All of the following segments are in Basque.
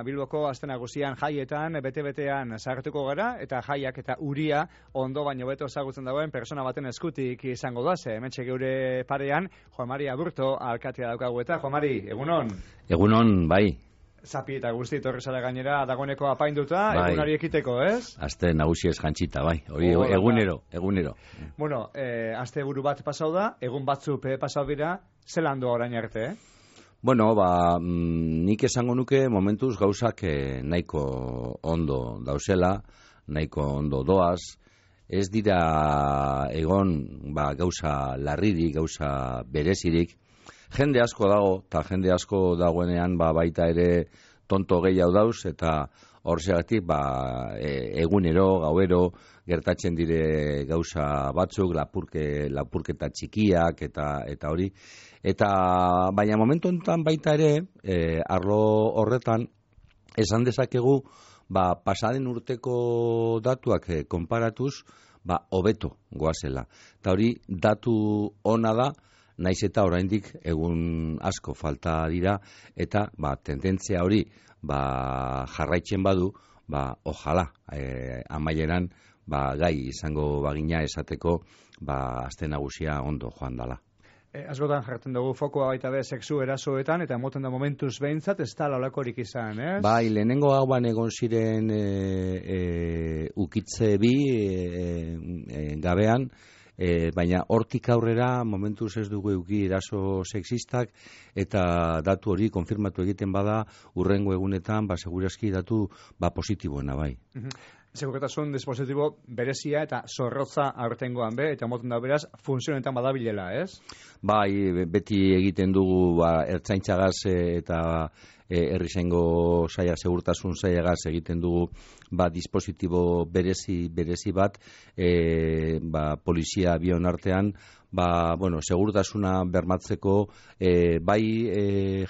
Bilboko aste nagusian jaietan, bete-betean sartuko gara, eta jaiak eta uria ondo baino beto ezagutzen dagoen persona baten eskutik izango da, hementxe geure parean, Juan Mari Aburto alkatea daukagu eta, Juan Mari, egunon? Egunon, bai. Zapi eta guzti torrezara gainera dagoeneko apainduta, bai. Egunari ekiteko, ez? Aste nagusi ez jantzita, bai. Hori egunero. Bueno, aste buru bat pasau da, egun batzuk pasau dira, zelan doa orain arte, Bueno, nik esango nuke momentuz gauzak nahiko ondo dauzela, nahiko ondo doaz, ez dira egon gauza larririk, gauza berezirik. Jende asko dago, eta jende asko dagoenean baita ere tonto gehiago dauz, eta horregatik egunero, gauero, gertatzen dire gauza batzuk, lapurketa txikiak eta hori. Eta baina momentu honetan baita ere, arlo horretan, esan dezakegu, pasaden urteko datuak konparatuz, hobeto goazela. Eta hori, datu ona da, naiz eta oraindik egun asko falta dira, eta tendentzia hori jarraitzen badu, ojala, amaieran gai izango bagina esateko, aste nagusia ondo joan dala. Askotan jartzen dugu fokoa baita be sexu erasoetan, eta emoten da momentuz behintzat, ez da laulakorik izan, ez? Bai, lehenengo hauan egon ziren ukitze bi gabean, baina hortik aurrera momentuz ez dugu euki eraso sexistak, eta datu hori konfirmatu egiten bada urrengo egunetan, segurazki datu positiboena, bai. Segurtasun dispositibo berezia eta zorrotza aurtengoan eta moten da beraz funtzionetan badabilela, ez? Bai, beti egiten dugu ertzaintzagaz eta herrizaingo saia, segurtasun saiagaz egiten dugu dispositibo berezi bat, polizia bion artean, segurtasuna bermatzeko bai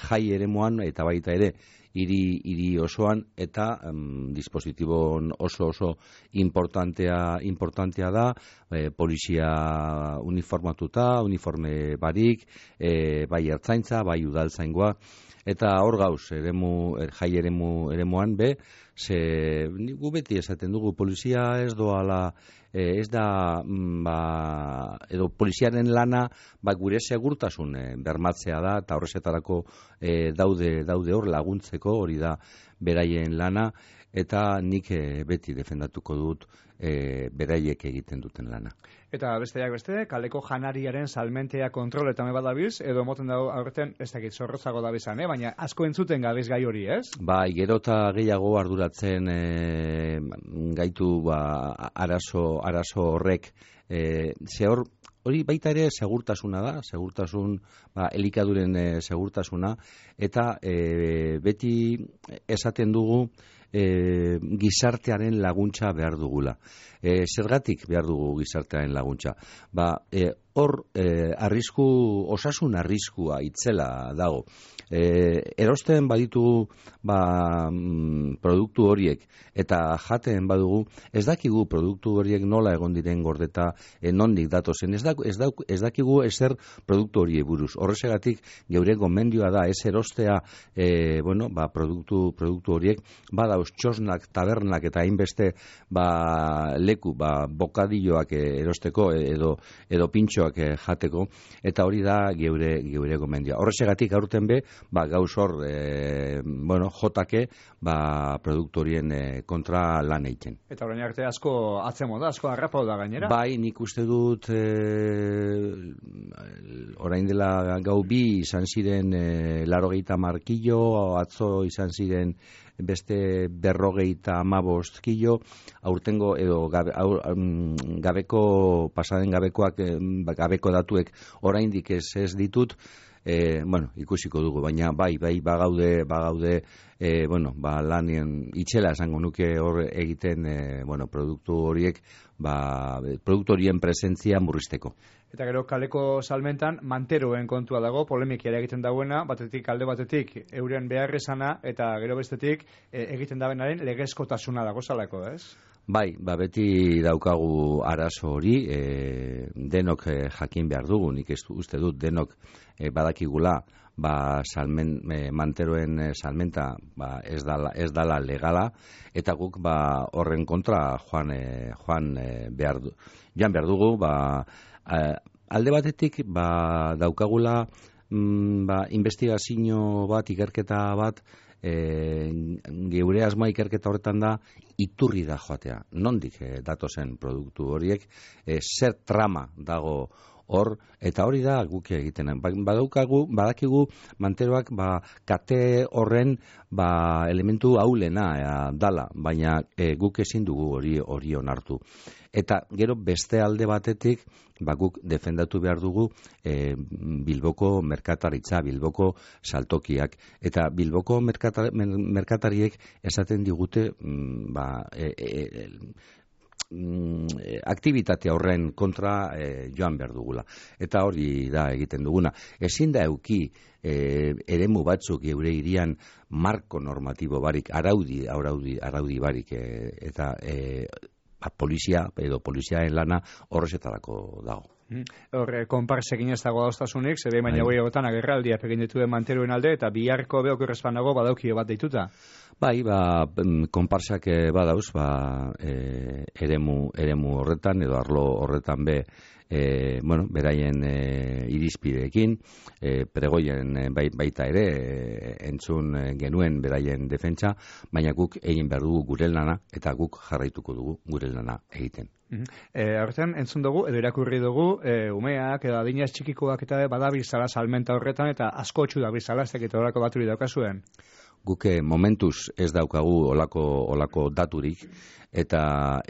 jai eremuan eta baita ere hiri osoan, eta dispositibo oso importantea da, polizia uniformatuta, uniforme barik, bai ertzaintza, bai udaltzaingoa, eta hor gauz, jai eremuan gu beti esaten dugu, polizia ez doala, ez da, edo poliziaren lana, gure segurtasun bermatzea da, eta horrezetarako daude hor laguntzeko, hori da beraien lana, eta nik beti defendatuko dut beraiek egiten duten lana. Eta besteak beste, kaleko janariaren salmentea kontroletan badabiz, edo moten dago aurten, ez dakit zorrotzago dabizan, baina asko entzuten gabiz gai hori, ez? Bai, gero eta gehiago arduratzen gaitu arazo horrek, hori baita ere segurtasuna da, elikaduren segurtasuna, eta beti esaten dugu gizartearen laguntza behar dugula. Zergatik behar dugu gizartearen laguntza? Hor, osasun arriskua itzela dago. Erosten baditu produktu horiek eta jaten badugu, ez dakigu produktu horiek nola egon diren gordeta, nondik datozen, ez dakigu ezer produktu horiek buruz. Horrezegatik geure gomendioa da ez erostea produktu horiek, badauz txosnak, tabernak eta hainbeste leku, bokadilloak erosteko edo pintxoak jateko, eta hori da geure gomendioa. Horrezegatik aurten gauz hor jotake produktu horien kontra lan egiten. Eta orain arte asko atzemo da, asko harrapau da gainera? Bai, nik uste dut orain dela gau bi izan ziren 80 kilo, atzo izan ziren beste 50 kilo, aurtengo edo pasaden gabeko datuek oraindik ez ditut, ikusiko dugu, baina bai bagaude lanien itxela esango nuke hor egiten produktu horiek, produktu horien presentzia murrizteko. Eta gero kaleko salmentan manteroen kontua dago, polemikia egiten dagoena, alde batetik euren beharrezana, eta gero bestetik egiten dabenaren legezkotasuna dago zalako, ez? Bai, beti daukagu arazo hori, denok jakin behar dugu, nik uste dut denok badakigula, manteroen salmenta ez dala legala, eta guk horren kontra joan behar dugu, alde batetik daukagula investigazio bat, ikerketa bat, geure asmoa ikerketa horretan da, iturri da joatea. Nondik datozen produktu horiek, zer trama dago hor, eta hori da guk egiten. Badakigu manteroak kate horren elementu aulena dala, baina guk ezin dugu hori onartu. Eta gero beste alde batetik, guk defendatu behar dugu Bilboko merkataritza, Bilboko saltokiak. Eta Bilboko merkatariek esaten digute aktibitate horren kontra joan behar dugula. Eta hori da egiten duguna. Ezin da euki eremu batzuk geure hirian marko normatibo barik, araudi barik, eta polizia edo poliziaen lana horrezetarako dago. Horre, konparsekin ez dago dauztasunik, zede baina goi egotan agerraldiak egin dituen manteruen alde, eta biharko beok errezpanago badaukio bat deituta. Bai, konparsak badauz, eremu horretan, edo arlo horretan beraien irizpideekin, pregoien baita ere, entzun genuen beraien defentsa, baina guk egin behar dugu gure lana, eta guk jarraituko dugu gure lana egiten. Horretan, entzun dugu, edo irakurri dugu, umeak, edo adinaz txikikoak eta badabizala salmenta horretan, eta asko txu dabizala, ez dakit horako baturi daukazuen. Guk momentuz ez daukagu olako daturik, eta